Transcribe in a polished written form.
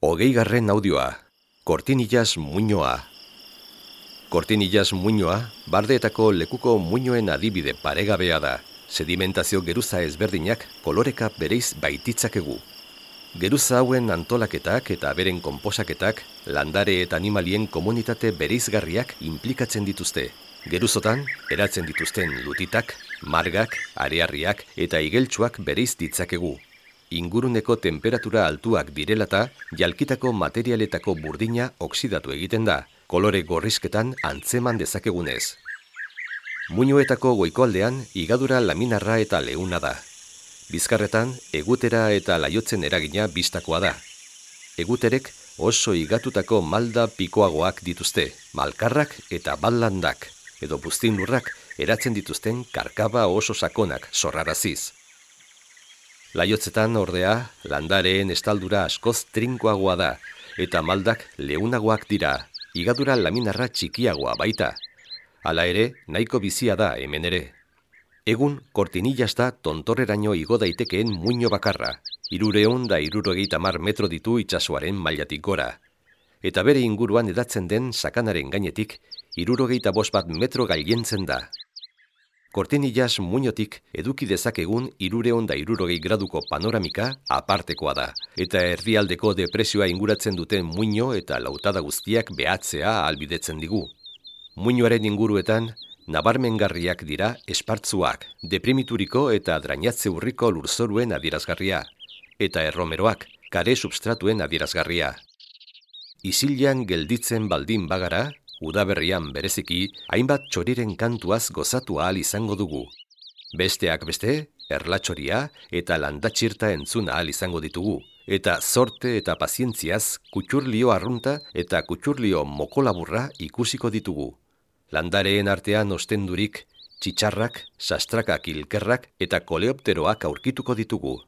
Hogeigarren audioa, Kortinillas muinoa. Kortinillas muinoa, bardeetako lekuko muinoen adibide paregabea da. Sedimentazio geruza ezberdinak koloreka bereiz baititzakegu. Geruza hauen antolaketak eta beren konposaketak landare eta animalien komunitate bereizgarriak inplikatzen dituzte. Geruzotan, eratzen dituzten lutitak, margak, arearriak eta igeltsuak bereiz ditzakegu. Inguruneko temperatura altuak direlata, jalkitako materialetako burdina oksidatu egiten da, kolore gorrizketan antzeman dezakegunez. Muinoetako goikoaldean igadura laminarra eta leuna da. Bizkarretan, egutera eta laiotzen eragina bistakoa da. Eguterek oso igatutako malda pikoagoak dituzte, malkarrak eta ballandak, edo buztinlurrak eratzen dituzten karkaba oso sakonak sorraraziz. Laiotzetan ordea, landareen estaldura askoz trinkoagoa da, eta maldak leunagoak dira, igadura laminarra txikiagoa baita. Hala ere, nahiko bizia da hemen ere. Egun, Kortinillas da tontorreraino igo daitekeen muino bakarra, 370 metro ditu itsasoaren mailatik gora. Eta bere inguruan edatzen den sakanaren gainetik, 75 metro gailentzen da. Kortinillas muinotik eduki dezakegun 360 graduko panoramika apartekoa da, eta herrialdeko depresioa inguratzen duten muino eta lautada guztiak behatzea ahalbidetzen digu. Muinoaren inguruetan, nabarmengarriak dira espartzuak, deprimituriko eta drainatze urriko lurzoruen adierazgarria, eta erromeroak, kare substratuen adierazgarria. Isilean gelditzen baldin bagara, udaberrian bereziki, hainbat txoriren kantuaz gozatu ahal izango dugu. Besteak beste, erlatxoria eta landatxirta entzun ahal izango ditugu, eta zorte eta pazientziaz kutxurlio arrunta eta kutxurlio mokolaburra ikusiko ditugu. Landareen artean ostendurik, txitsarrak, sastrakak ilkerrak eta koleopteroak aurkituko ditugu.